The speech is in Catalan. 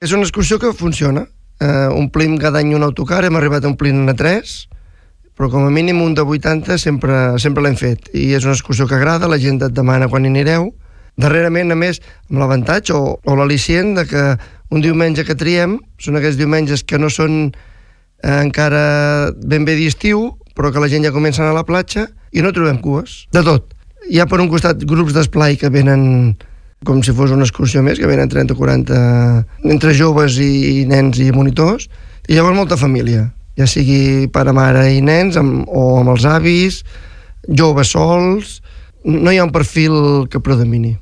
És una excursió que funciona. Omplim cada any un autocar, hem arribat a omplir-ne 3, però com a mínim un de 80 sempre l'hem fet. I és una excursió que agrada, la gent et demana quan hi anireu. Darrerament, a més, amb l'avantatge o l'al·licient de que un diumenge que triem són aquests diumenges que no són encara ben bé d'estiu, però que la gent ja comença a anar a la platja i no trobem cues, de tot. Hi ha per un costat grups d'esplai que venen com si fos una excursió més, que venen 30 o 40 entre joves i nens i monitors, i llavors molta família, ja sigui pare, mare i nens, o amb els avis, joves sols. No hi ha un perfil que predomini.